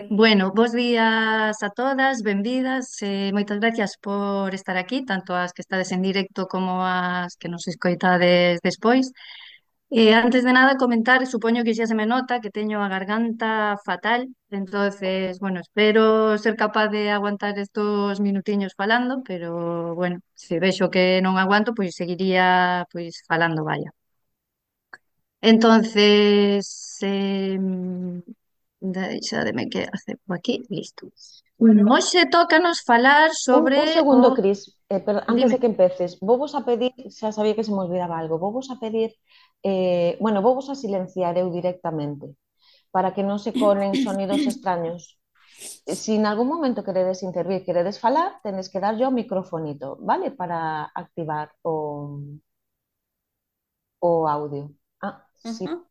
Bueno, bos días a todas, benvidas, moitas gracias por estar aquí, tanto as que estades en directo como as que nos escoitades despois. Antes de nada comentar, supoño que xa se me nota que teño a garganta fatal, entonces, bueno, espero ser capaz de aguantar estos minutiños falando, pero bueno, se vexo que non aguanto, pois seguiría pois falando, vaya. Entonces, deixademe que acepto aquí, listo. Hoxe tócanos falar Un sobre segundo, o... Cris, antes Dime. de que empeces, vos a pedir, xa sabía que se me olvidaba algo, vos a pedir, bueno, vos a silenciar eu directamente, para que non se colen sonidos extraños. Si en algún momento queredes intervir, queredes falar, tenes que dar yo o microfonito, vale? Para activar o audio. Ah, sí. Ujú.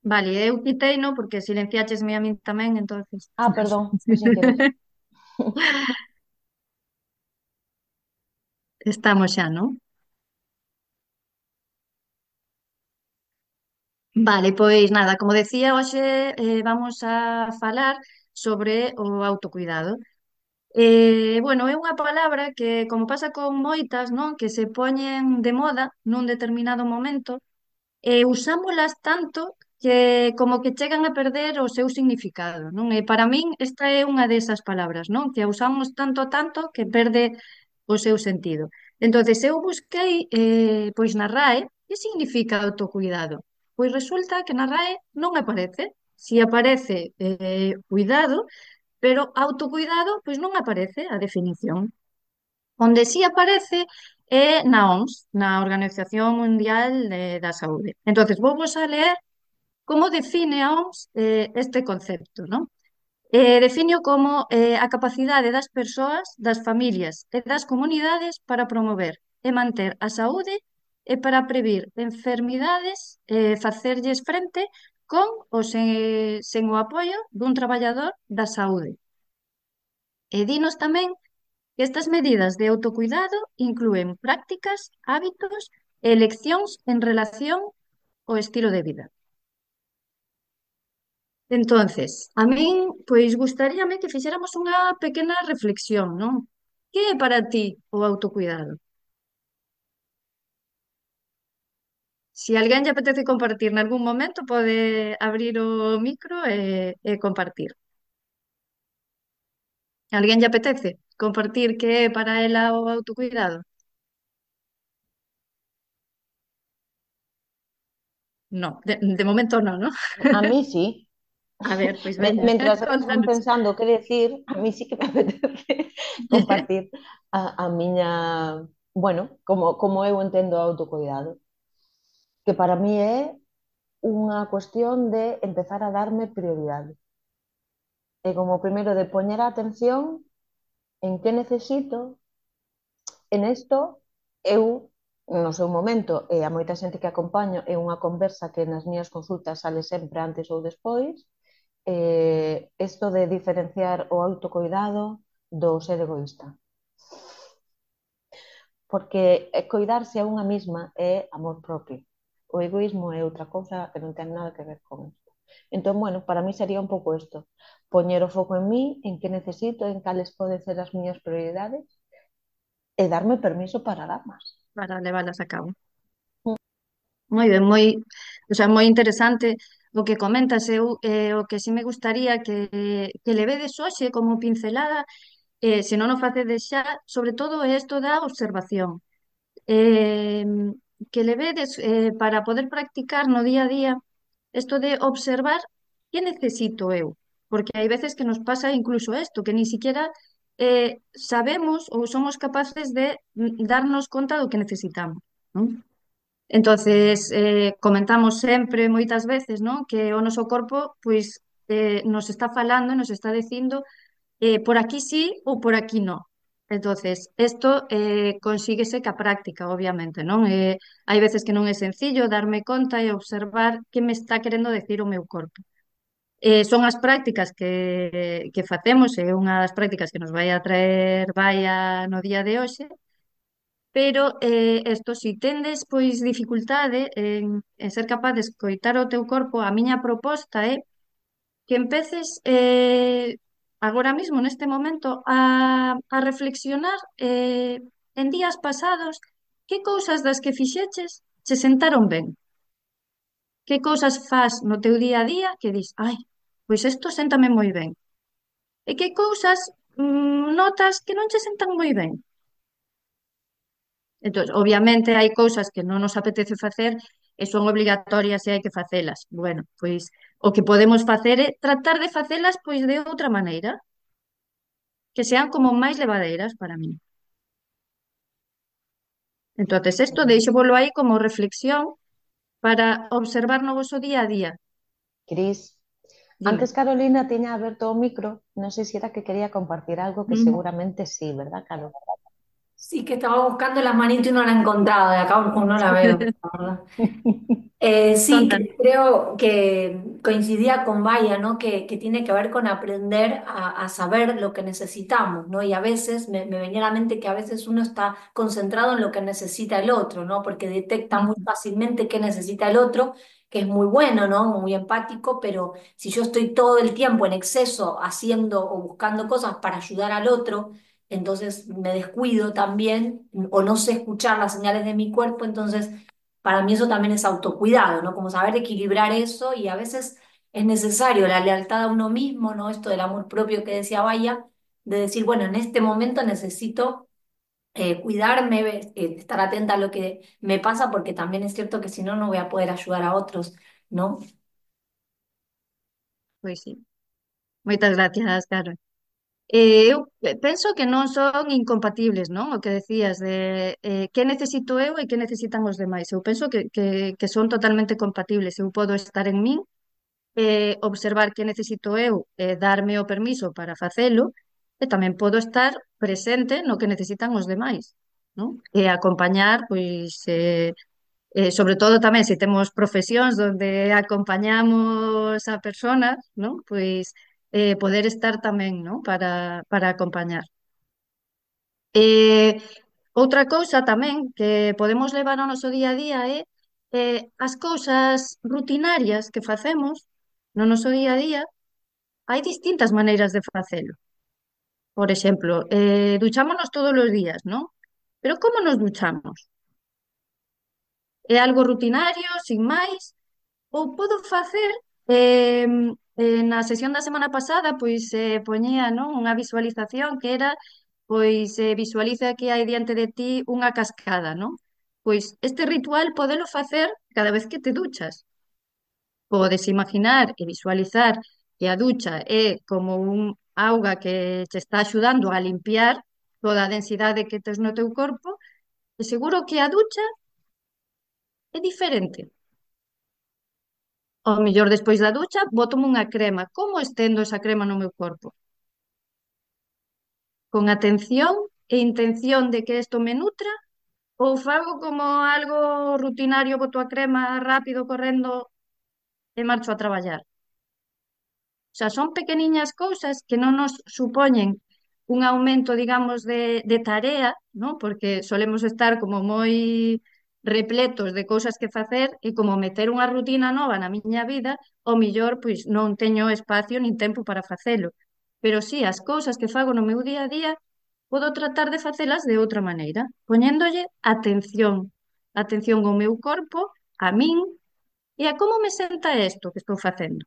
Vale, eu quitei, no, porque silenciáchesme a min tamén, entonces... Ah, perdón, foi sin querer. Estamos xa, non? Vale, pois nada, como decía, hoxe vamos a falar sobre o autocuidado. Bueno, é unha palabra que, como pasa con moitas, non? Que se poñen de moda nun determinado momento, usámolas tanto que como que chegan a perder o seu significado, non? E para min esta é unha desas palabras, non? Que a usamos tanto que perde o seu sentido. Entonces eu busquei pois na RAE que significa autocuidado. Pois resulta que na RAE non aparece. Si aparece cuidado, pero autocuidado pois non aparece a definición. Onde sí aparece é na OMS, na Organización Mundial da Saúde. Entonces, vou a leer como define a OMS este concepto, non? Define como a capacidade das persoas, das familias e das comunidades para promover e manter a saúde e para previr enfermidades e facerlles frente con ou sen o apoio dun traballador da saúde. E dinos tamén que estas medidas de autocuidado inclúen prácticas, hábitos e eleccións en relación ao estilo de vida. Entonces, a min, pois, gustaríame que fixéramos unha pequena reflexión, non? Que é para ti o autocuidado? Se alguén lle apetece compartir nalgún momento, pode abrir o micro e compartir. Alguén lle apetece compartir que é para ela o autocuidado? No, de momento non, non? A mí sí. A ver, pois veña, Mentras elas van contanos. pensando que decir, a mí sí que me apetece compartir a miña, bueno, como eu entendo o autocuidado, que para mí é unha cuestión de empezar a darme prioridade. E como primeiro de poñer a atención en que necesito, en isto eu no seu momento, e a moita xente que acompaño, é unha conversa que nas miñas consultas sale sempre antes ou despois, isto de diferenciar o autocuidado do ser egoísta. Porque coidarse a unha mesma é amor propio. O egoísmo é outra cousa que non ten nada que ver con isto. Entón, bueno, para mí sería un pouco isto. Poñer o foco en mí, en que necesito, en cales poden ser as miñas prioridades e darme permiso para darmas. Para leválas a cabo. Moi ben, o sea, moi interesante o que comentas. O que sí me gustaría que levedes hoxe como pincelada, se non o facedes xa, sobre todo é isto da observación. Eh, que levedes para poder practicar no día a día isto de observar que necesito eu. Porque hai veces que nos pasa incluso isto, que ni siquiera sabemos ou somos capaces de darnos conta do que necesitamos, non? Entonces, comentamos sempre moitas veces, non? Que o noso corpo pois nos está falando, nos está dicindo por aquí sí ou por aquí no. Entonces, isto consíguese ca práctica, obviamente, non? Hai veces que non é sencillo darme conta e observar que me está querendo decir o meu corpo. Son as prácticas que facemos, é unha das prácticas que nos vai a traer vaia no día de hoxe, pero isto, si tendes pois dificultade en ser capaz de escoitar o teu corpo, a miña proposta é que empeces agora mismo, neste momento, a reflexionar en días pasados que cousas das que fixeches che sentaron ben, que cousas fas no teu día a día que dis, ai, pois isto séntame moi ben, e que cousas notas que non che sentan moi ben. Entón, obviamente hai cousas que non nos apetece facer e son obrigatorias e hai que facelas. Bueno, pois o que podemos facer é tratar de facelas pois de outra maneira, que sean como máis levadeiras para min. Entonces, isto deixo aí como reflexión para observar no voso día a día. Cris, Dime. antes Carolina tiña aberto o micro, non sei se era que quería compartir algo que Mm. seguramente sí, ¿verdad, Caro? Sí, que estaba buscando la manito y no la he encontrado, de acá no la veo, la verdad. Sí, Conta. creo que coincidía con Vaya, ¿no? Que tiene que ver con aprender a saber lo que necesitamos, ¿no? Y a veces me venía a la mente que a veces uno está concentrado en lo que necesita el otro, ¿no? Porque detecta muy Mm. fácilmente qué necesita el otro, que es muy bueno, ¿no? Muy empático, pero si yo estoy todo el tiempo en exceso haciendo o buscando cosas para ayudar al otro, entonces me descuido también o no sé escuchar las señales de mi cuerpo, entonces para mí eso también es autocuidado, ¿no? Como saber equilibrar eso y a veces es necesario la lealtad a uno mismo, ¿no? Esto del amor propio que decía Vaya, de decir, bueno, en este momento necesito cuidarme, estar atenta a lo que me pasa, porque también es cierto que si no, no voy a poder ayudar a otros, ¿no? Pois sí. Moitas gracias, Carol. Eu penso que non son incompatibles, non? O que decías de que necesito eu e que necesitan os demais. Eu penso que son totalmente compatibles. Eu podo estar en min, observar que necesito eu, darme o permiso para facelo, e tamén podo estar presente no que necesitan os demais, non? E acompañar, pois, sobre todo tamén se temos profesións onde acompañamos a personas, non? Pois poder estar tamén, non? Para acompañar. Eh, Outra cousa tamén que podemos levar ao noso día a día é as cousas rutinarias que facemos no noso día a día, hai distintas maneiras de facelo. Por exemplo, duchámonos todos os días, non? Pero como nos duchamos? É algo rutinario, sin máis? Ou podo facer, na sesión da semana pasada, pois poñía, non, unha visualización que era, pois visualiza que hai diante de ti unha cascada, non? Pois este ritual podelo facer cada vez que te duchas. Podes imaginar e visualizar que a ducha é como un auga que te está axudando a limpiar toda a densidade que tes no teu corpo, e seguro que a ducha é diferente. Ao mellor despois da ducha, bótome unha crema. Como estendo esa crema no meu corpo? Con atención e intención de que isto me nutra? Ou fago como algo rutinario, boto a crema rápido correndo e marcho a traballar? O sea, son pequeniñas cousas que non nos supoñen un aumento, digamos, de tarea, ¿no? Porque solemos estar como moi repletos de cousas que facer e como meter unha rutina nova na miña vida, ao millor, pois non teño espacio nin tempo para facelo. Pero sí, as cousas que fago no meu día a día, podo tratar de facelas de outra maneira, poñéndolle atención, atención ao meu corpo, a min e a como me senta isto que estou facendo.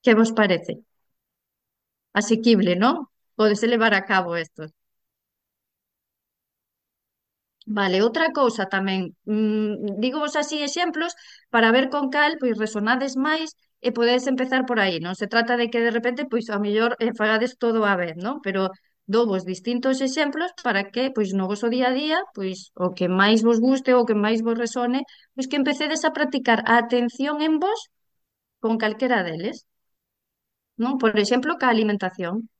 Que vos parece? Asequible, non? Pódese levar a cabo isto. Vale, outra cousa tamén, dígovos así exemplos para ver con cal pois resonades máis e podedes empezar por aí. Non se trata de que de repente pois a mellor fagades todo á vez, non? Pero dovos distintos exemplos para que pois no voso día a día, pois o que máis vos guste ou o que máis vos resone, pois que empecedes a practicar a atención en vos con calquera deles, non? Por exemplo, ca alimentación.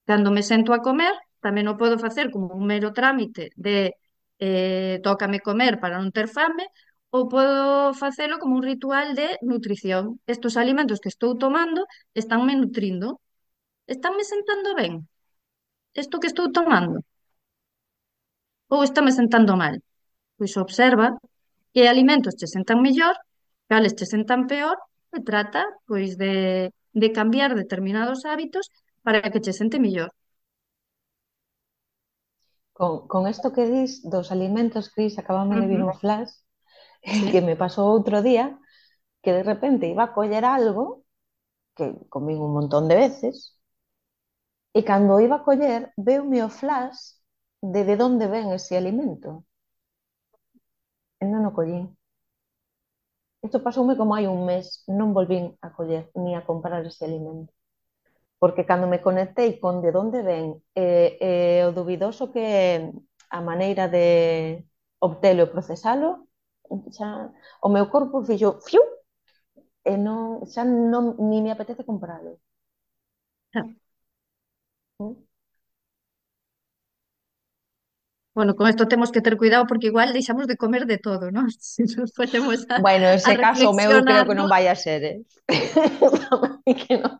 Cando me sento a comer, tamén o podo facer como un mero trámite de tócame comer para non ter fame, ou podo facelo como un ritual de nutrición. Estos alimentos que estou tomando estánme nutrindo, estánme sentando ben. Isto que estou tomando, ou estáme sentando mal. Pois observa que alimentos te sentan mellor cales che sentan peor, se trata pois de cambiar determinados hábitos para que che sente mellor. Con esto que dis dos alimentos, Cris, acabame de vir Ujú, un flash que sí. me pasó outro día, que de repente iba a coller algo que comín un montón de veces, e cando iba a coller, veume o flash de onde ven ese alimento. E non o collín. Isto pasoume como hai un mes, non volvín a coller ni a comprar ese alimento. Porque cando me conectei con de onde ven o dubidoso que é a maneira de obtelo e procesalo, xa, o meu corpo fixo fiu, e non, xa non, ni me apetece compralo. ¿Mm? Bueno, con esto temos que ter cuidado porque igual deixamos de comer de todo, ¿no? Si nos ponemos Bueno, a ese caso meu creo reflexionar, que ¿no? non vai a ser, eh? Que non.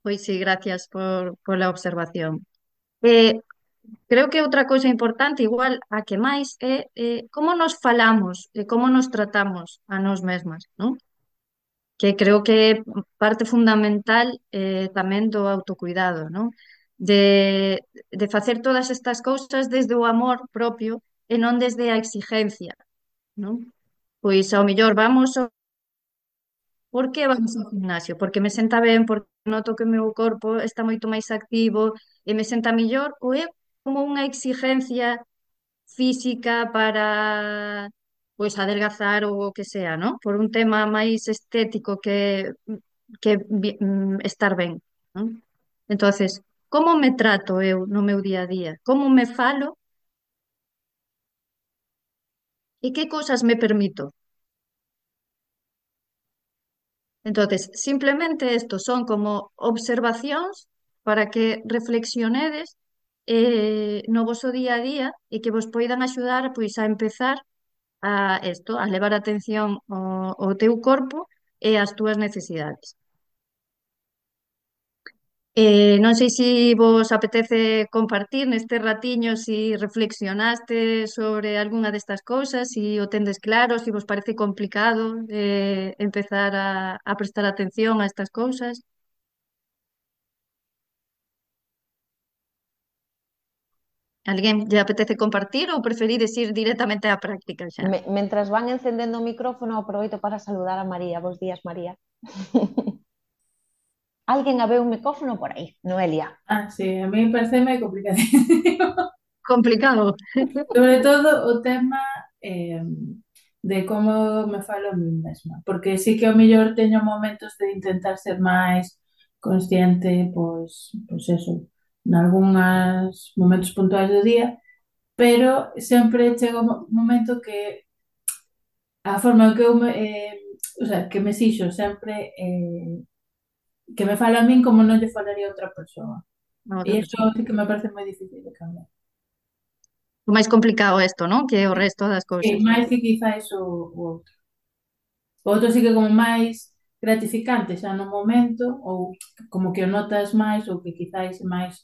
Pois sí, gracias por la observación. Eh, Creo que outra cousa importante, igual a que máis, é como nos falamos e como nos tratamos a nós mesmas, non? Que creo que é parte fundamental tamén do autocuidado, non? De, de facer todas estas cousas desde o amor propio e non desde a exigencia, non? Pois ao mellor vamos ¿por que vamos ao gimnasio? Porque me senta ben, porque noto que o meu corpo está moito máis activo e me senta mellor, ou é como unha exigencia física para pois adelgazar ou o que sea, ¿no? Por un tema máis estético que estar ben, ¿no? Entonces, como me trato eu no meu día a día? Como me falo e que cousas me permito? Entonces, simplemente estos son como observacións para que reflexionedes no voso día a día e que vos poidan axudar pois a empezar a levar atención ao teu corpo e ás túas necesidades. Non sei se vos apetece compartir neste ratiño si reflexionaste sobre algunha destas cousas, si o tendes claro, si vos parece complicado empezar a prestar atención a estas cousas. Alguén lle apetece compartir ou preferides ir directamente á práctica xa? Mentras van encendendo o micrófono, aproveito para saludar a María. Bos días, María. Alguén a ver un micrófono por aí, Noelia. Ah, sí, a mí parece moi complicadísimo. Complicado. Sobre todo o tema eh, de como me falo a mí mesma, porque sí que ao mellor teño momentos de intentar ser máis consciente, pois eso, nalgúns momentos puntuais do día, pero sempre chega un momento que a forma que eu o sea, que me sixo sempre que me fala a min como non lle falaría a outra persoa. A E outra iso persoa. sí que me parece moi difícil de cambiar. O máis complicado isto, non? Que o resto das Sí, cousas. máis que quizás o outro. O outro sí que como máis gratificante xa no momento, ou como que o notas máis, ou que quizás é máis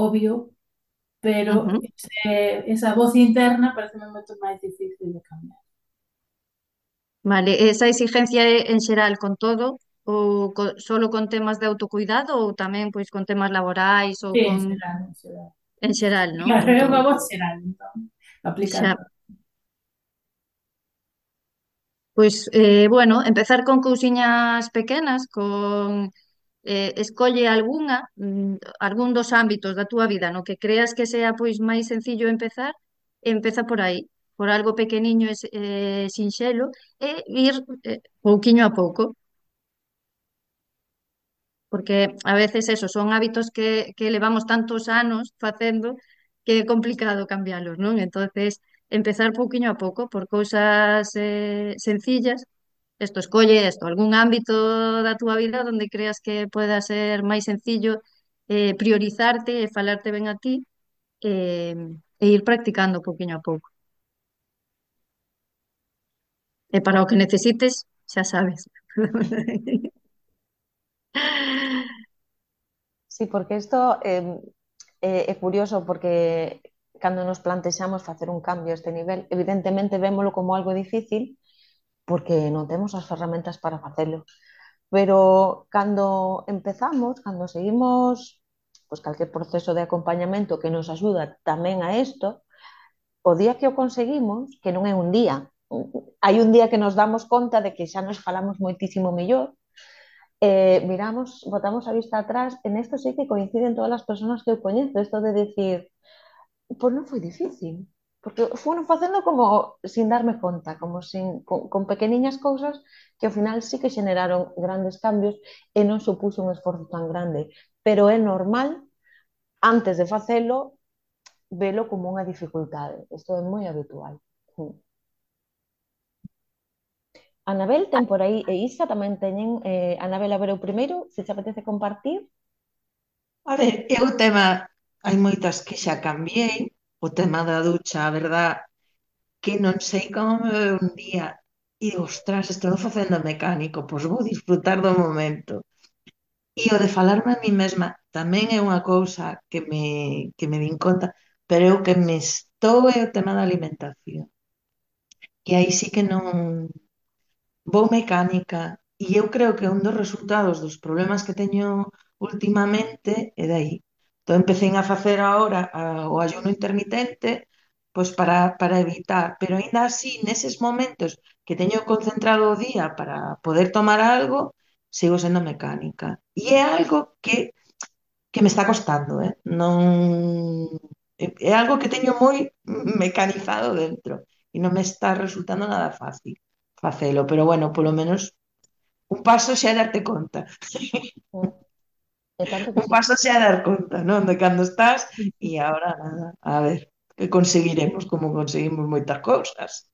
obvio, pero Ujú. esa voz interna parece un momento máis difícil de cambiar. Vale, esa exigencia é en xeral con todo ou solo con temas de autocuidado ou tamén pois con temas laborais ou Sí, con en xeral, en xeral. en xeral, non? Claro, Con é todo. unha voz xeral, entón, aplica a Xa. todo. Pois, bueno, empezar con cousiñas pequenas, con escolle algún dos ámbitos da túa vida no que creas que sea pois máis sencillo empezar, empeza por aí, por algo pequeniño e sinxelo, e ir pouquiño a pouco, porque a veces eso, son hábitos que levamos tantos anos facendo que é complicado cambialos, non? Entonces, empezar pouquiño a pouco, por cousas sencillas. Isto, escolle isto, algún ámbito da túa vida onde creas que pueda ser máis sencillo priorizarte e falarte ben a ti e ir practicando pouquiño a pouco. E para o que necesites, xa sabes. Sí, porque isto é curioso porque cando nos plantexamos facer un cambio a este nivel, evidentemente vémolo como algo difícil porque non temos as ferramentas para facelo. Pero cando empezamos, cando seguimos pues, calquer proceso de acompañamento que nos axuda tamén a isto, o día que o conseguimos, que non é un día, hai un día que nos damos conta de que xa nos falamos moitísimo mellor, miramos, botamos a vista atrás, en esto sí que coinciden todas as persoas que eu coñezo, isto de decir, pois non foi difícil, porque foron facendo como sin darme conta, como con pequeniñas cousas que ao final sí que xeneraron grandes cambios e non supuxo un esforzo tan grande, pero é normal, antes de facelo, velo como unha dificultade, isto é moi habitual. Anabel ten por aí, e Isa tamén teñen, Anabel, a ver o primeiro, se te apetece compartir. A ver, eu o tema, hai moitas que xa cambiei, o tema da ducha, a verdad, que non sei como me veo un día e digo, ostras, estou facendo mecánico, pois vou disfrutar do momento. E o de falarme a mí mesma tamén é unha cousa que me din conta, pero eu que me estou é o tema da alimentación. E aí sí que non vou mecánica e eu creo que un dos resultados dos problemas que teño últimamente é de aí. Entón empecé a facer agora o ayuno intermitente pois para evitar, pero aínda así neses momentos que teño concentrado o día para poder tomar algo, sigo sendo mecánica. E é algo que me está costando, Non é algo que teño moi mecanizado dentro e non me está resultando nada fácil facelo, pero bueno, polo menos un paso xa é darte conta. E tanto que Un sí. paso xa é dar conta, non? De cando estás e agora nada, a ver, que conseguiremos como conseguimos moitas cousas.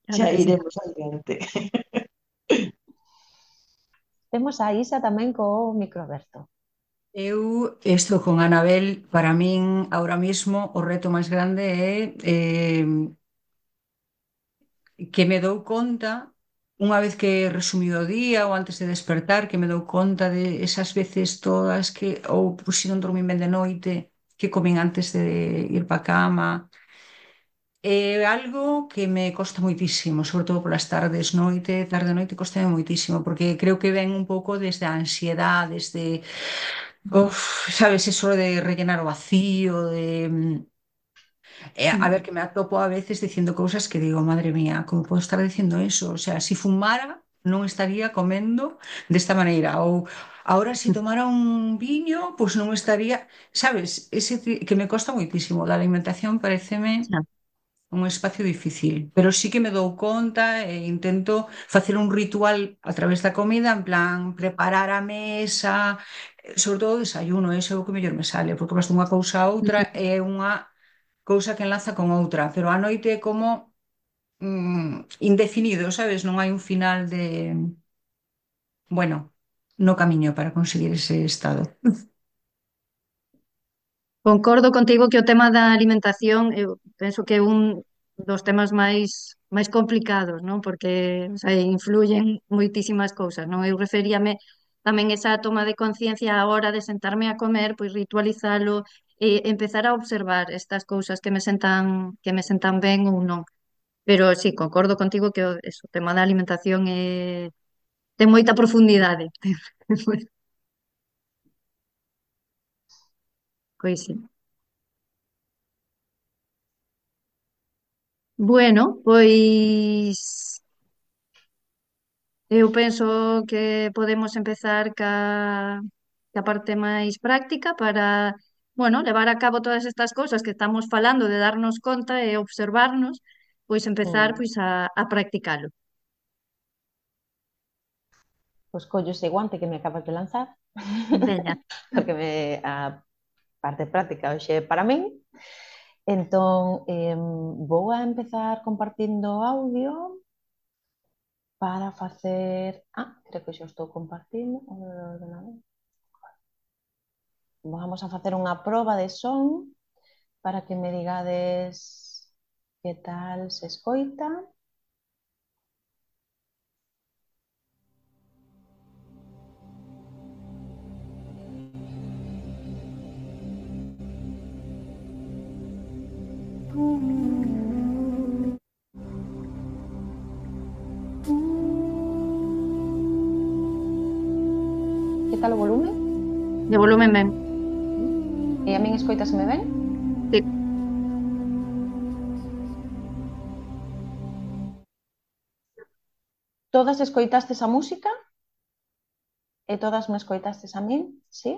Claro Xa que sí. iremos adiante. Temos a Isa tamén co micro aberto. Eu estou con Anabel, para min ahora mismo o reto máis grande é que me dou conta, unha vez que he resumido o día ou antes de despertar, que me dou conta de esas veces todas que, ou si non dormín ben de noite, que comín antes de ir para a cama. É algo que me costa moitísimo, sobre todo polas tardes, tarde-noite costa moitísimo, porque creo que ven un pouco desde a ansiedade, desde, sabes, eso de rellenar o vacío, de a ver, que me atopo a veces diciendo cousas que digo, madre mía, como podo estar diciendo eso? O sea, si fumara, non estaría comendo desta maneira. Ou ahora, si tomara un viño, pois non estaría, sabes, que me costa moitísimo. Da alimentación pareceme Xa. un espacio difícil, pero sí que me dou conta e intento facer un ritual a través da comida, en plan, preparar a mesa, sobre todo o desayuno, ese é o que mellor me sale, porque vas dunha cousa a outra é unha cousa que enlaza con outra, pero a noite é como indefinido, sabes? Non hai un final de, bueno, no camiño para conseguir ese estado. Concordo contigo que o tema da alimentación eu penso que é un dos temas máis complicados, non? Porque o sea, influyen moitísimas cousas, non? Eu referíame tamén esa toma de conciencia á hora de sentarme a comer, pois ritualizalo e empezar a observar estas cousas que me sentan ben ou non. Pero sí, concordo contigo que o tema da alimentación ten moita profundidade. Pois sí. Bueno, pois eu penso que podemos empezar ca parte máis práctica para, bueno, levar a cabo todas estas cousas que estamos falando de darnos conta e observarnos, pois empezar pois a practicalo. Pois collo ese guante que me acabas de lanzar, Veña. porque a parte práctica hoxe é para min. Entón, vou a empezar compartindo audio para facer... creo que xa estou compartindo. Vamos a facer unha proba de son para que me digades que tal se escoita. tal o volumen? De volumen ben. E a min escoitaseme ben? Sí. Todas escoitastes a música? E todas me escoitastes a min? Sí?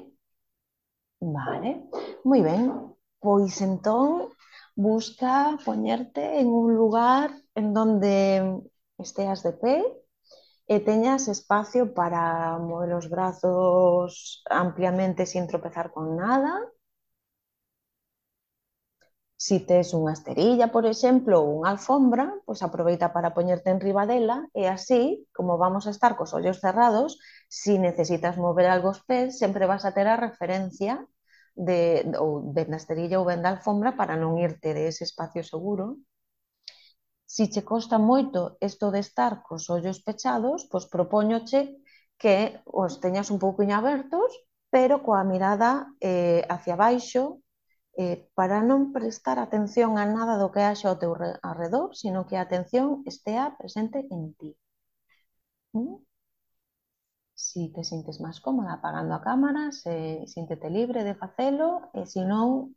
Vale, moi ben. Pois entón, busca poñerte en un lugar en donde esteas de pé e teñas espacio para mover os brazos ampliamente sin tropezar con nada. Si tes unha esterilla, por exemplo, ou unha alfombra, pois aproveita para poñerte enriba dela e así, como vamos a estar cos ollos cerrados, si necesitas mover algo os pés, sempre vas a ter a referencia ou ben da esterilla ou ben da alfombra para non irte de ese espacio seguro. Si che costa moito isto de estar cos ollos pechados, pois propóñoche que os teñas un pouquiño abertos, pero coa mirada hacia baixo, para non prestar atención a nada do que haxa ao teu arredor, sino que a atención estea presente en ti. Si te sintes máis cómoda apagando a cámara, síntete libre de facelo, e se non,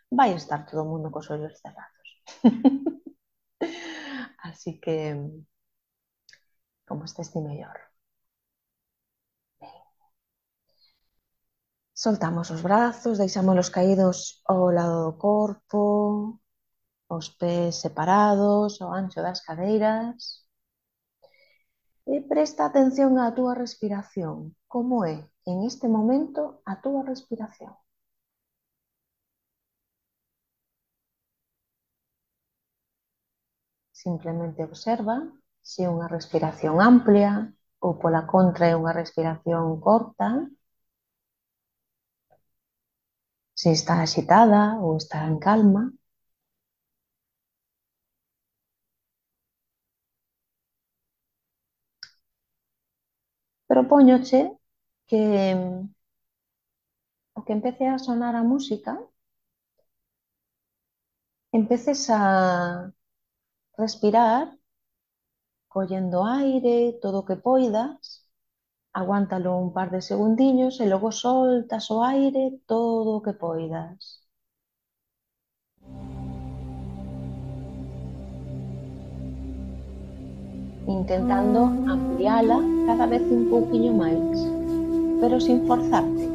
vai estar todo o mundo cos ollos cerrados. Así que, como estés ti mellor. Soltamos os brazos, deixámolos caídos ao lado do corpo, os pés separados, ao ancho das cadeiras. E presta atención á túa respiración. Como é, en este momento, a túa respiración? Simplemente observa se é unha respiración amplia ou, pola contra, é unha respiración corta, se está axitada ou está en calma. Propóñoche que o que empece a sonar a música, empeces a respirar collendo aire todo o que poidas, aguántalo un par de segundiños e logo soltas o aire todo o que poidas. Intentando ampliala cada vez un pouquiño máis, pero sin forzarte.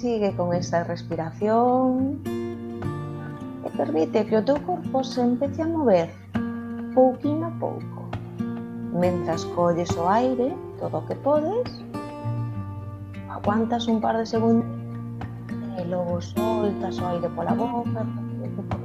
Sigue con esa respiración e permite que o teu corpo se empece a mover pouquinho a pouco. Mentras colles o aire todo o que podes, aguantas un par de segundos e logo soltas o aire pola boca todo o que podes.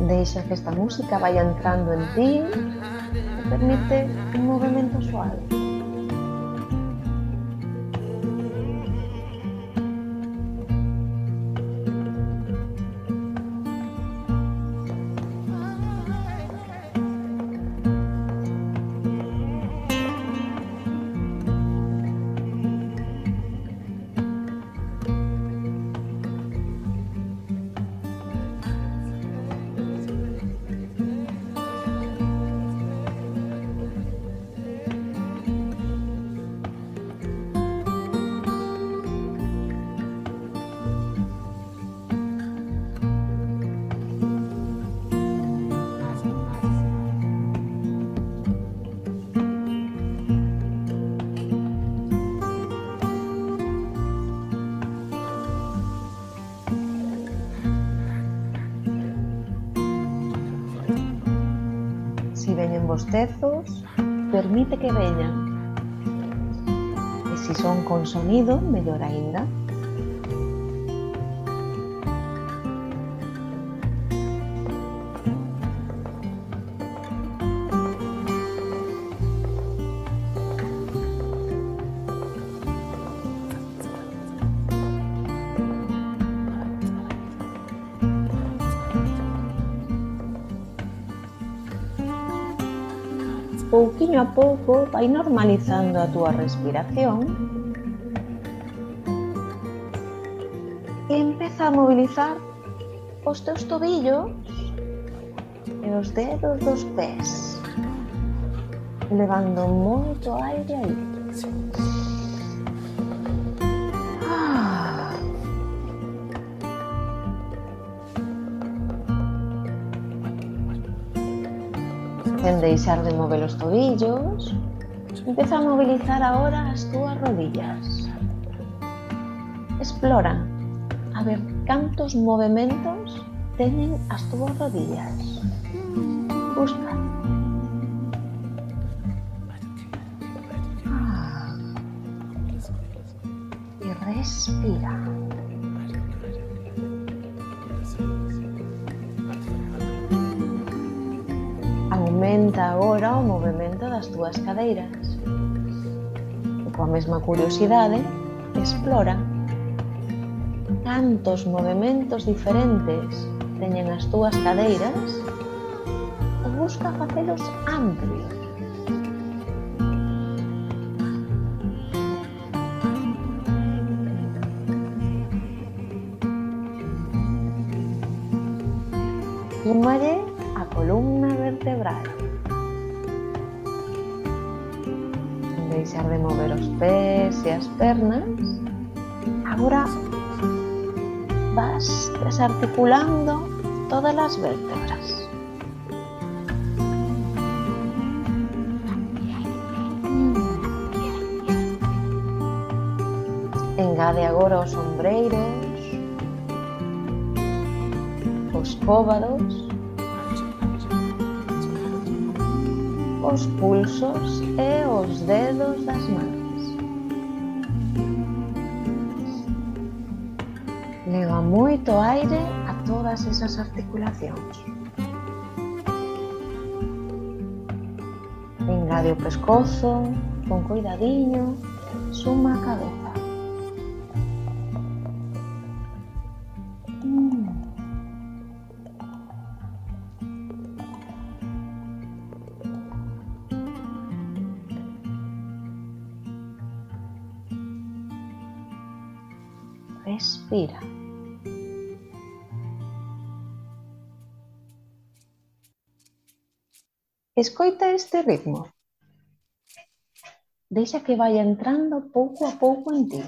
Deixa que esta música vaya entrando en ti e permite un movimento suave. venen bostezos, permite que veñan. E se son con sonido, mellor aínda. Pouquiño a pouco vai normalizando a túa respiración e empeza a mobilizar os teus tobillos e os dedos dos pés, levando moito aire aí. Sen deixar de mover os tobillos, empeza a mobilizar agora as túas rodillas. Explora a ver cantos movementos teñen as túas rodillas. Busca. E respira. Aumenta agora o movimento das túas cadeiras. E coa mesma curiosidade, explora cantos movimentos diferentes teñen as túas cadeiras e busca facelos amplios. Súmalle a columna vertebral. Sen deixar de mover os pés e as pernas, agora vas desarticulando todas as vértebras. Engade agora os ombreiros, os cóbados, os pulsos e os dedos das mans. Leva moito aire a todas esas articulacións. Engade o pescozo, con cuidadiño, suma a cabeza. Respira. Escoita este ritmo. Deixa que vaya entrando pouco a pouco en ti.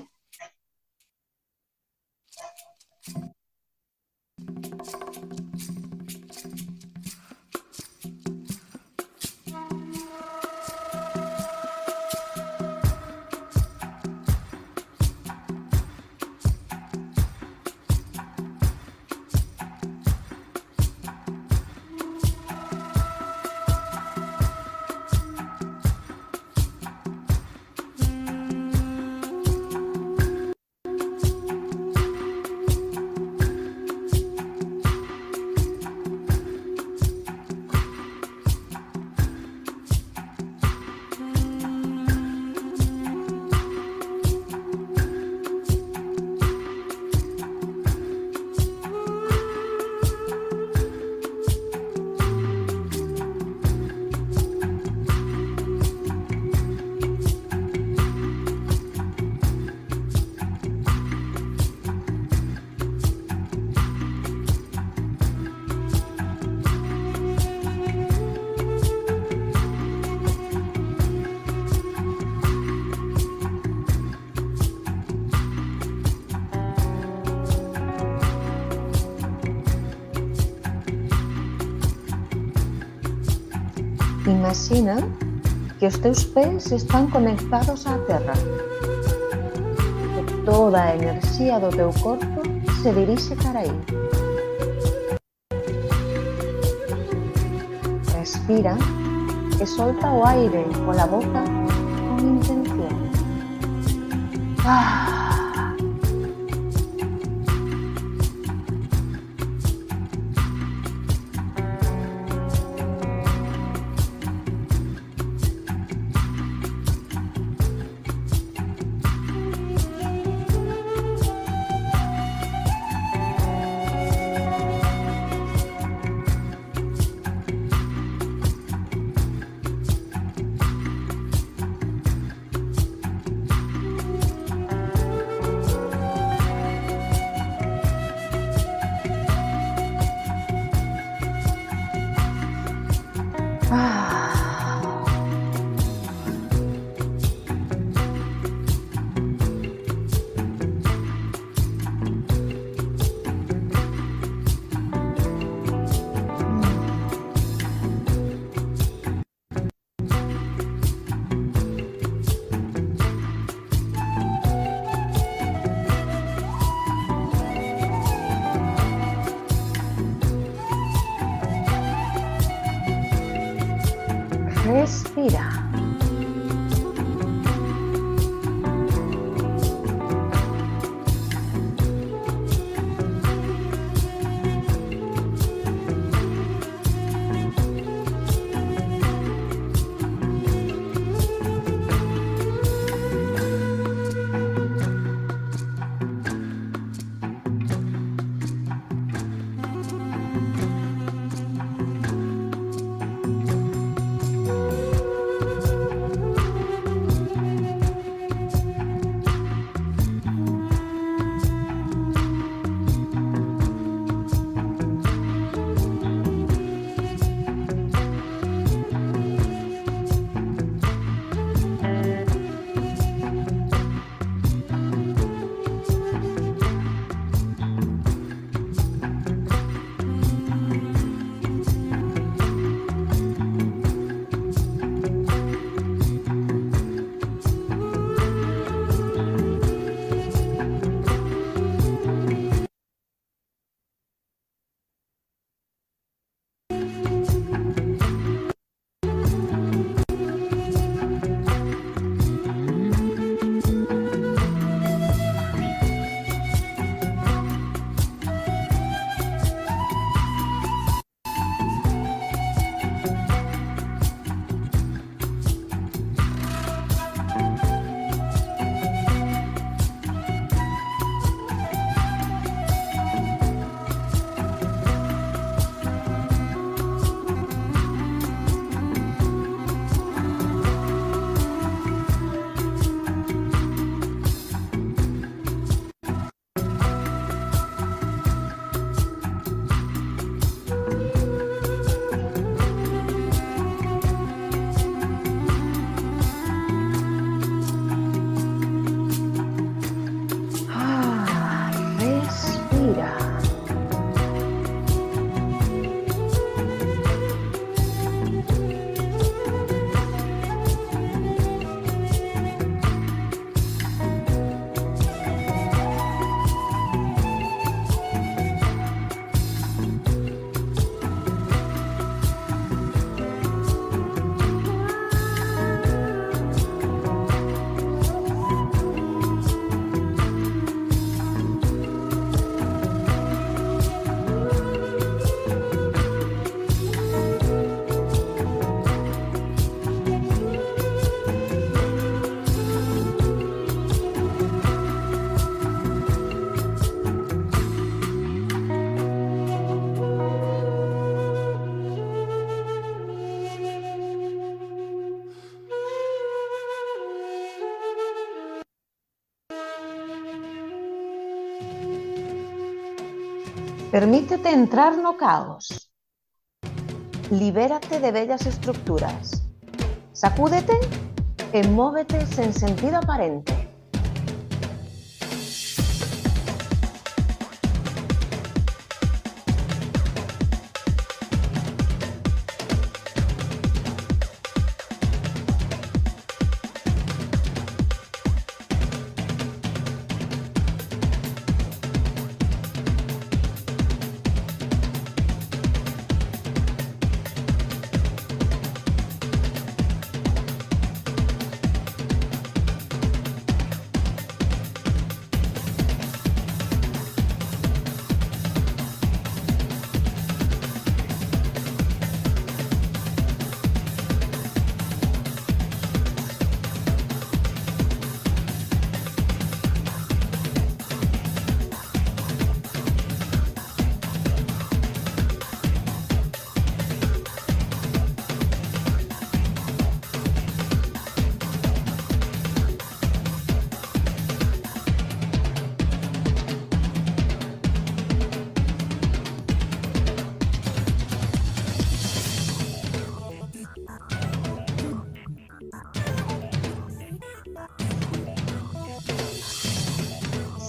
Imagina que os teus pés están conectados á terra. Que toda a enerxía do teu corpo se dirixe cara aí. Respira e solta o aire pola boca con intención. Ah. Respira. Respira. Permítete entrar no caos. Libérate de vellas estructuras. Sacúdete e móvete sen sentido aparente.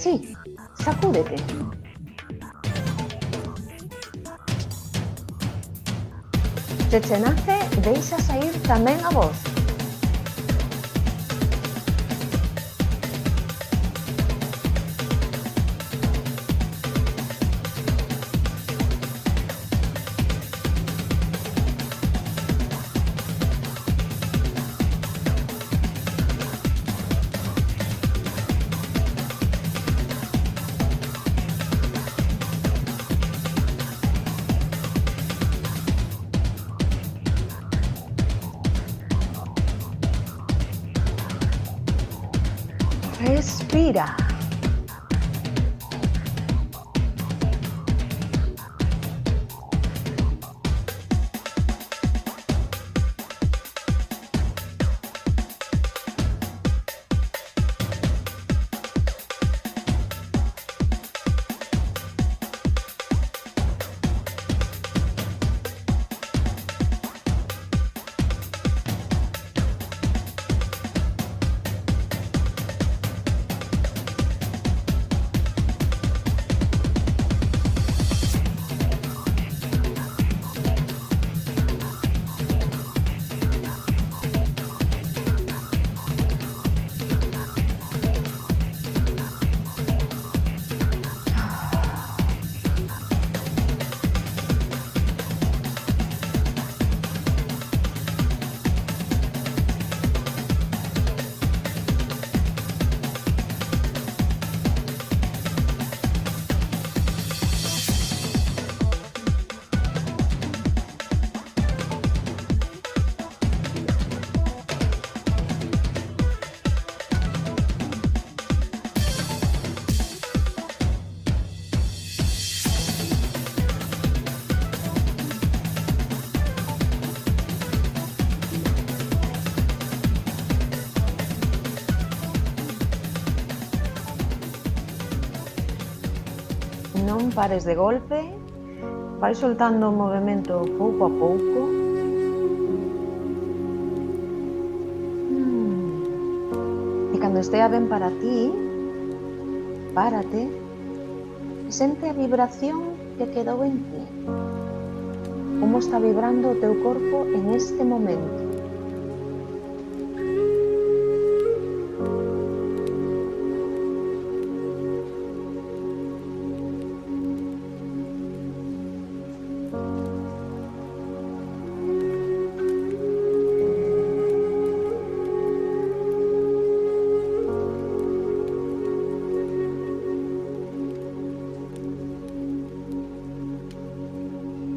así, sacúdete. Se che nace, deixa saír tamén a voz. Respira. Non pares de golpe, vai soltando o movimento pouco a pouco. E cando estea ben para ti, párate e sente a vibración que quedou en ti. Como está vibrando o teu corpo en este momento.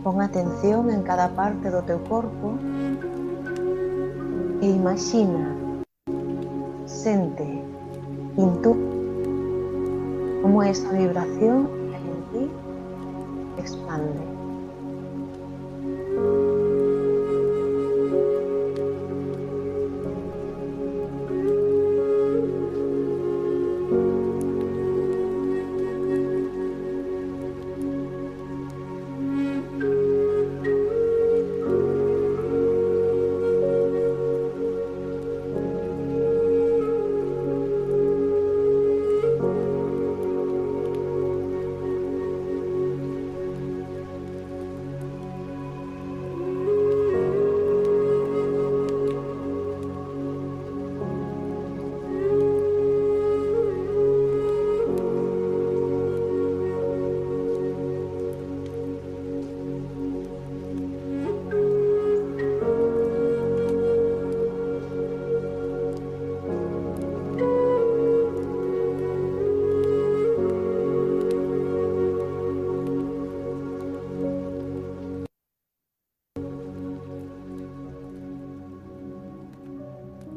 Pon atención en cada parte do teu corpo e imagina, sente, intúe como esa vibración que hai en ti expande.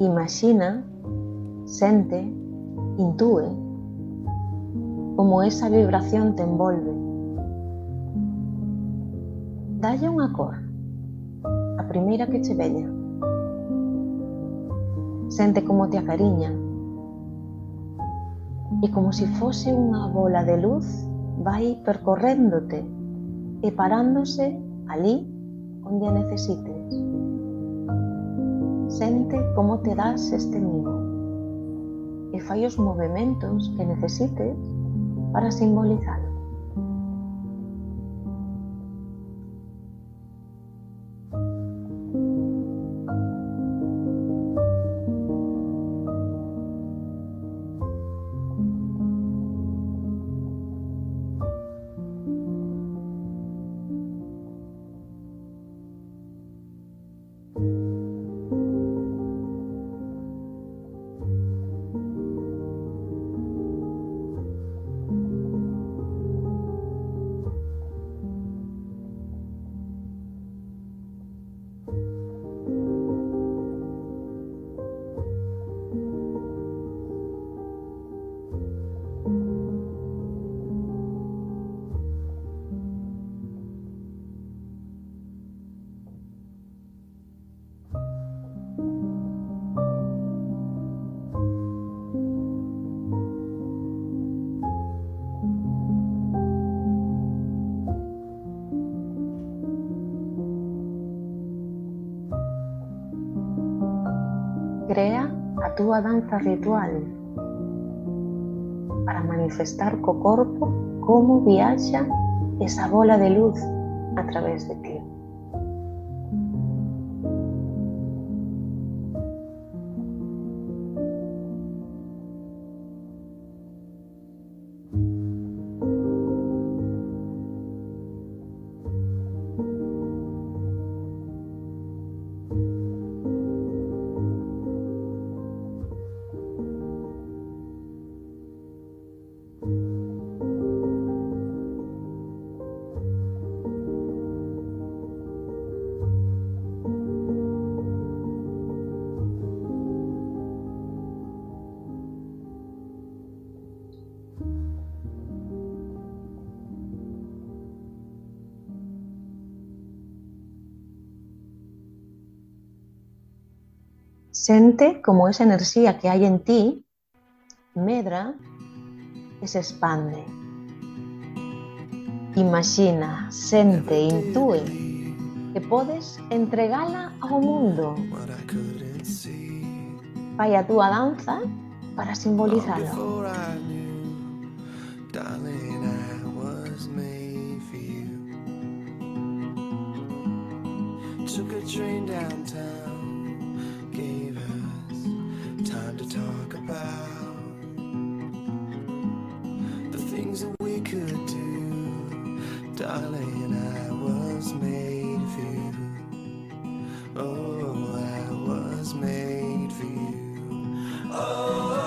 Imagina, sente, intúe como esa vibración te envolve. Dalle unha cor, a primeira que che veña. Sente como te acariña e como se fose unha bola de luz vai percorréndote e parándose ali onde a necesites. Sente como te das este mimo e fai os movimentos que necesites para simbolizarlo. Crea a túa danza ritual para manifestar co corpo como viaxa esa bola de luz a través de ti. Sente como esa enerxía que hai en ti medra e se expande. Imaxina, sente, intúe que podes entregala ao mundo. Fai a túa danza para simbolizalo. Took a train downtown, gave us time to talk about the things that we could do. Darling, I was made for you. Oh, I was made for you. Oh,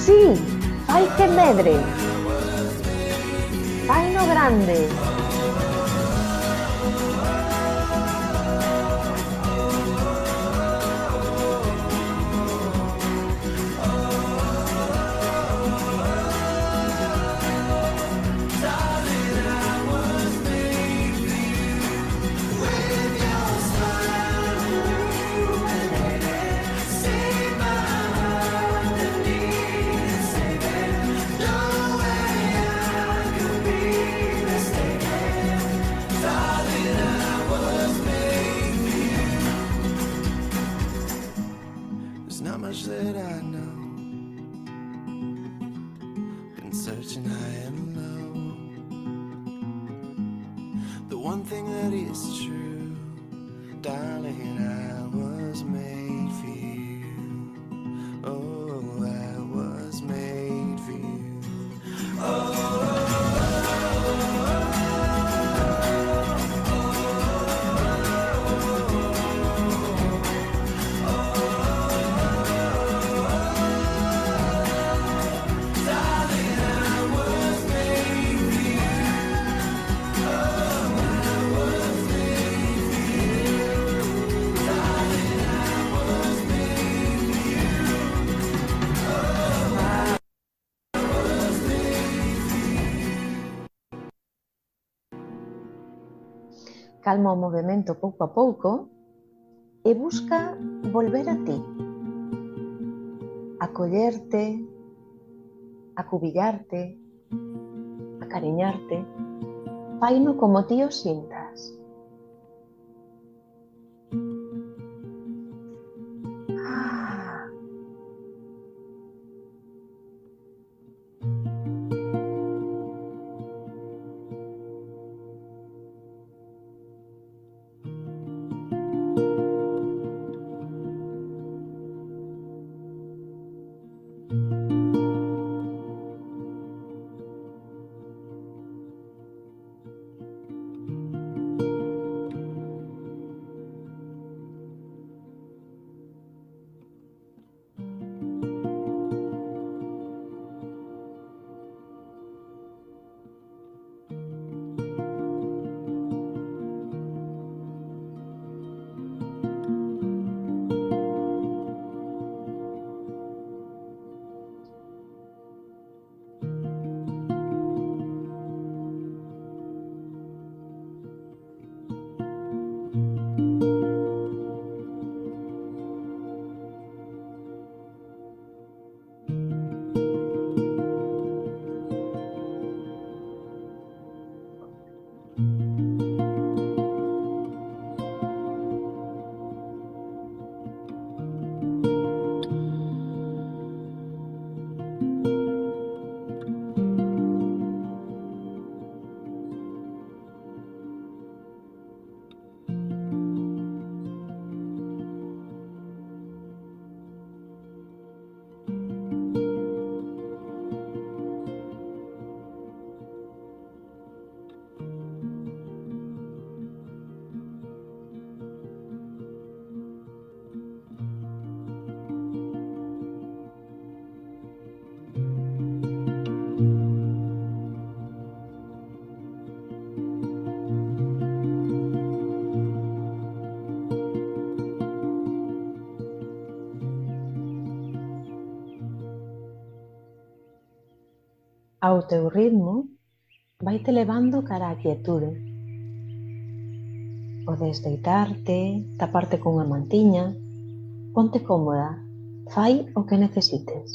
Sí, fai que medre. Fai no grande. not much that I know. Been searching high and low. The one thing that is true, darling, I was made for you. Oh, I was made for you. Oh. Oh, calma o movemento pouco a pouco e busca volver a ti, acollerte, acubillarte, acariñarte. Faino como ti o sintas. Ah. Ao teu ritmo, vaite levando cara á quietude. Podes deitarte, taparte cunha mantiña, ponte cómoda, fai o que necesites.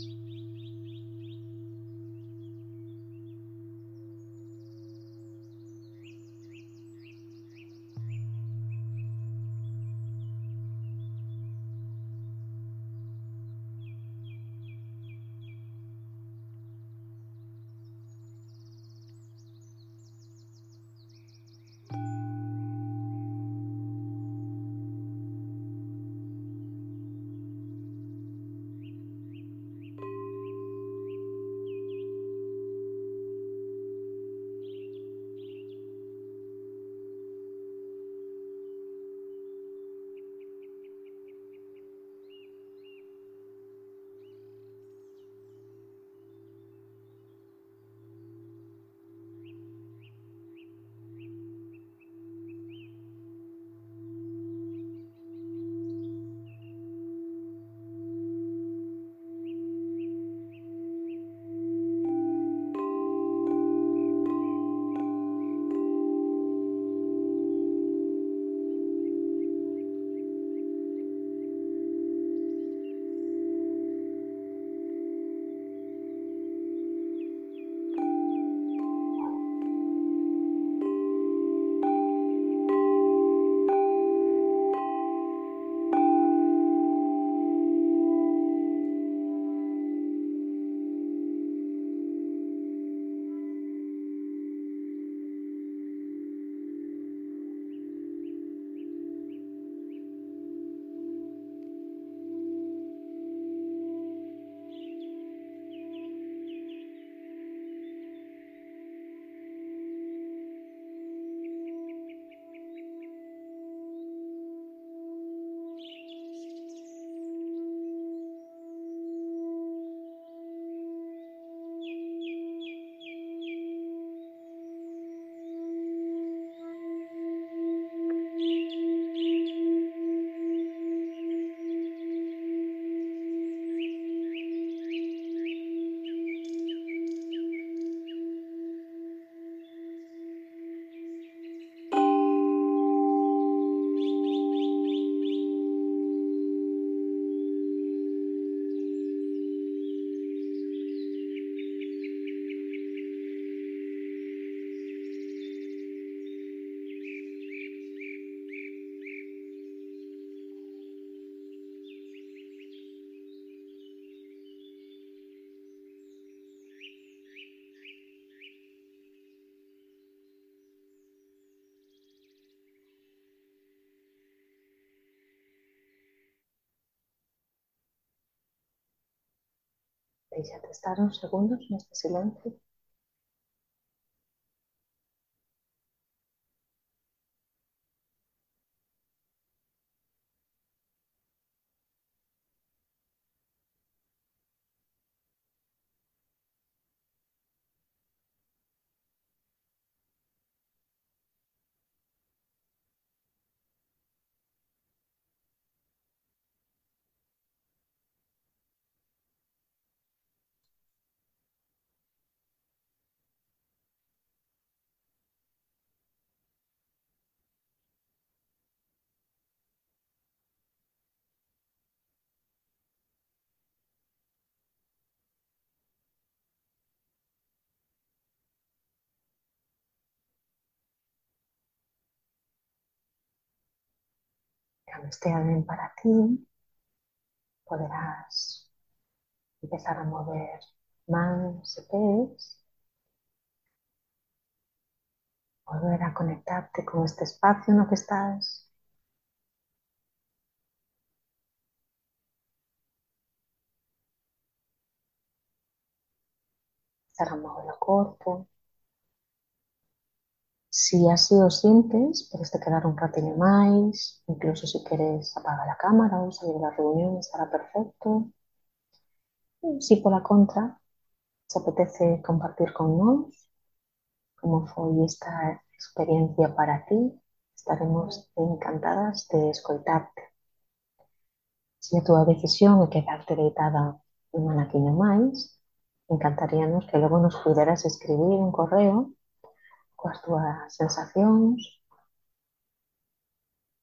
Déixate estar uns segundos neste silencio. Cando estea ben para ti, poderás empezar a mover mans e pés, volver a conectarte con este espacio no que estás, empezar a mover o corpo. Si así o sintes, podes te quedar un ratiño máis, incluso se queres apagar a cámara ou salir da reunión, estará perfecto. Si pola contra, se apetece compartir con nós como foi esta experiencia para ti, estaremos encantadas de escoitarte. Se a túa decisión é quedarte deitada un anaquiño máis, encantaríanos que logo nos puderas escribir un correo coas túas sensacións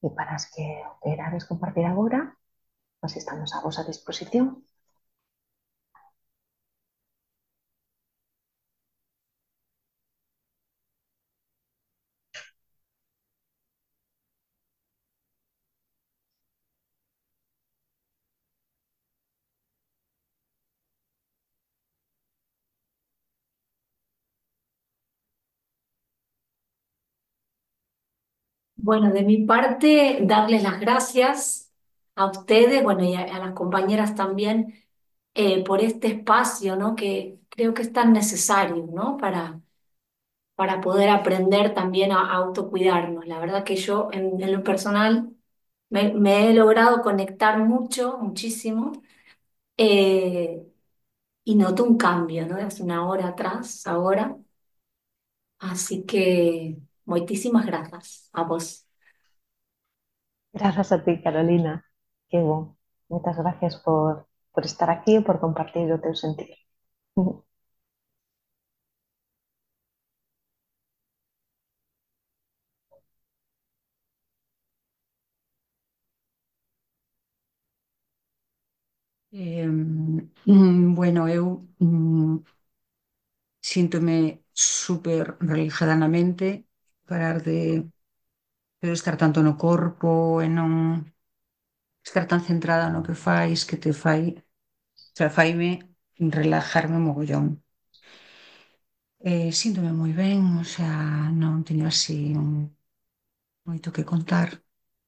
e para as que o querades compartir agora, pois estamos a vosa disposición. Bueno, de mi parte, darles las gracias a ustedes, bueno, y a las compañeras también, por este espacio, ¿no? Que creo que es tan necesario, ¿no? Para poder aprender también a autocuidarnos. La verdad que yo, en lo personal, me he logrado conectar mucho, muchísimo, eh, y noto un cambio, ¿no? De hace una hora atrás, ahora. Así que, muchísimas gracias a vos. Grazas a ti, Carolina. Que bon. Moitas gracias por estar aquí e por compartir o teu sentir. Bueno, eu síntome súper relajada na mente, parar de estar tanto no corpo e non estar tan centrada no que fais, que te fai, o sea, faime relajarme mogollón. Síntome moi ben, o sea, non teño así moito que contar.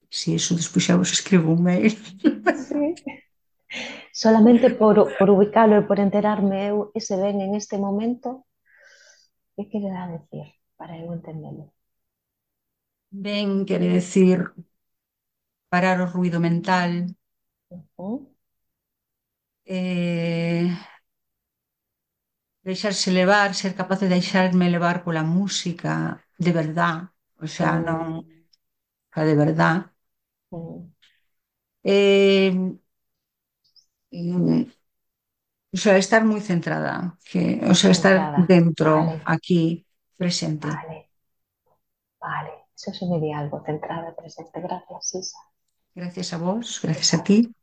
Si iso despois xa vos escribo un mail. Sí. Solamente por ubicalo e por enterarme eu ese ben en este momento, que quererá decir para eu entendelo? Ben, quere decir parar o ruido mental, eh, deixarse levar, ser capaz de deixarme levar pola música de verdad, o sea, non Mm, a de verdad. mm, Eh, mm, o sea, estar moi centrada, o sea, estar centrada. dentro, Vale, aquí, presente. vale, vale. Eso sí me di algo, centrada, presente. Gracias, Isa. Gracias a vos, gracias a ti.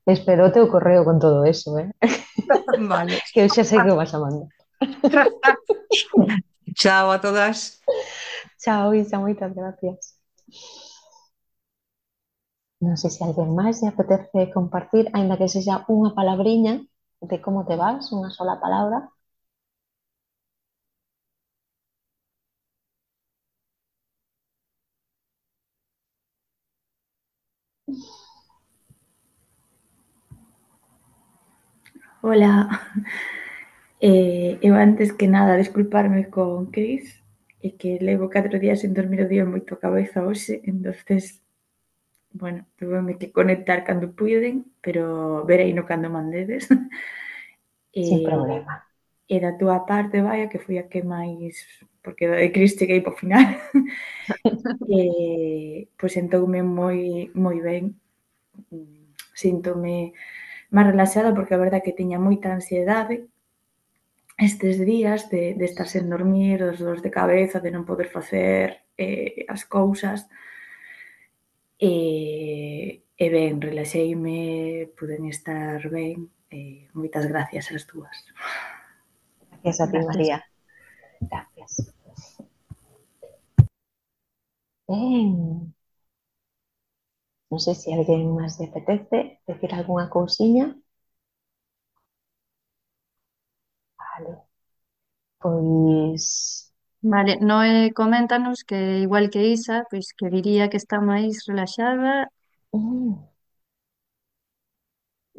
Espero o teu correo con todo eso, Vale. que eu xa sei que o vas a mandar. Chao a todas. Chao, Isa, moitas gracias. Non sei se alguén máis lle apetece compartir, aínda que sexa unha palabriña de como te vas, unha sola palabra. Hola, eu antes que nada desculparme con Cris e que levo 4 días sen dormir o día moito a cabeza hoxe, entonces, bueno, tuveme que conectar cando puiden, pero vereino cando mandedes. Sin E, problema. e da túa parte, vaia, que foi a que máis, porque da de Cris cheguei para o final, pois sentoume moi ben, síntome máis relaxada porque a verdad que tiña moita ansiedade estes días de estar sen dormir, dos dores de cabeza, de non poder facer as cousas e ben, relaxeime, puden estar ben moitas gracias ás dúas. Gracias a ti, Gracias. María. Gracias. Ben, non sei se alguén máis lle apetece decir algunha cousiña. Vale. Pois... Vale, Noé, coméntanos que igual que Isa, pois que diría que está máis relaxada mm,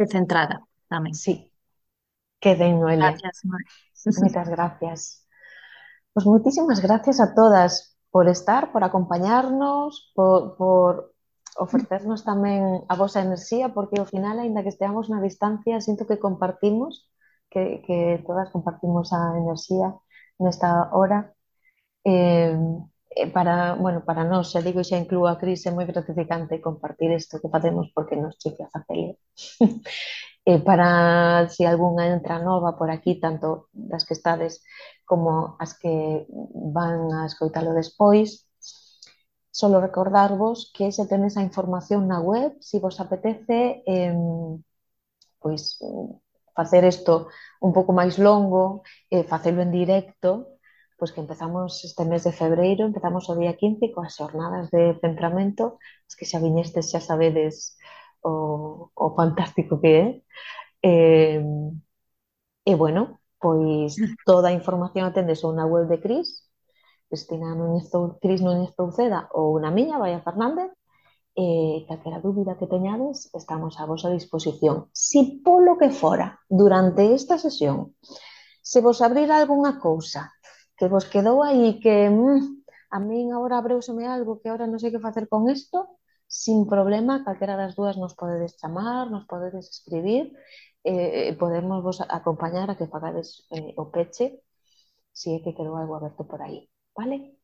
e centrada tamén. sí, que ben, Noelia. Gracias, Noé. Moitas gracias. Pues muchísimas gracias a todas por estar, por acompañarnos, por ofrecernos tamén a vosa enerxía, porque ao final, aínda que esteamos na distancia, sinto que compartimos, que todas compartimos a enerxía nesta hora. Eh, bueno, para nós, xa digo, xa incluo a Cris, é moi gratificante compartir isto que facemos porque nos chifla facelo. Para si algunha entra nova por aquí, tanto das que estades como as que van a escoitalo despois, solo recordarvos que se tenes a información na web, se vos apetece, pois facer isto un pouco máis longo, facelo en directo, pois que empezamos este mes de febreiro, empezamos o día 15 coas xornadas de centramento, as que xa viñestes xa sabedes o fantástico que é. E, e bueno, pois toda a información atendes ou na web de Cris, Cris Núñez Touceda, ou na miña, Baia Fernández, calquera dúbida que teñades, estamos a vosa disposición. Si polo que fora, durante esta sesión, se vos abrir algunha cousa que vos quedou aí que a min agora abreuseme algo que agora non sei que facer con isto, sin problema, calquera das dúas nos podedes chamar, nos podedes escribir, podemos vos acompañar a que pagades o peche se é que quedou algo aberto por aí, vale?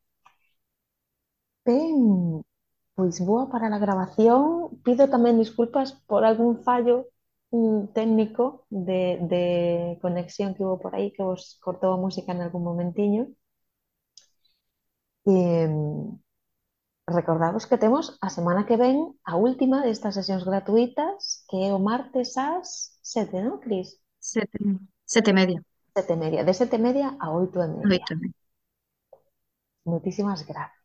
Ben, pois boa para a grabación. Pido tamén disculpas por algún fallo técnico de conexión que hubo por aí que vos cortou a música en algún momentiño. Recordamos que temos a semana que ven a última destas sesións gratuitas, que é o martes ás 7, non, Cris? 7:30. 7:30, de 7:30 a 8:30. Oito. Moitísimas grazas.